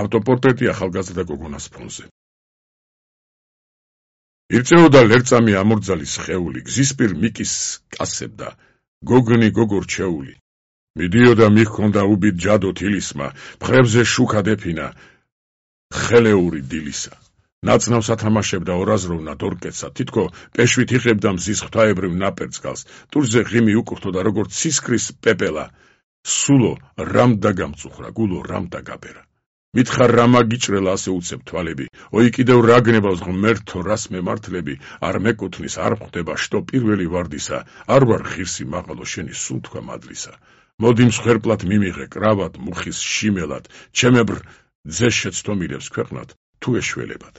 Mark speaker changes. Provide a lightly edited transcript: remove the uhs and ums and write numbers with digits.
Speaker 1: ავტოპორტრეტი ახალგაზრდა გოგონას ფონზე. ირწეოდა ლერწამი ამორძალი სხეული, გზისპირ მიკის კასებდა, გოგნი გოგო რჩეული. მიდიოდა მიხქონდა უბით ჯადო თილისმა, მხრებზე შუქა დეფინა, ხელეული დილისა. ნაცნავს ათამაშებდა ორაზროვნად ორკეცად, თითქო პეშვით იღებდა მზის ღვთაებრივ ნაპერწკალს, ტურზე ღიმი უკრთოდა როგორც ცისკრის პეპელა, სულო რამ დაგამწუხრა, გულო რამ დაგაბერა. მითხარ რა მაგიჭრელა ასე უცებ თვალები, oi კიდევ რა გნებავს ღმერთო რას მემართლები, არ მეკუთვნის არ ხვდება შტო პირველი ვარდისა, არ ვარ ღირსი მაღალო შენი სუნთქვა მადლისა. მოდი მსხვერპლად მიმიღე კრავად მუხის შიმელად, ჩემებრ ძეს შეცდომილებს ქვეყნად თუ ეშველებად.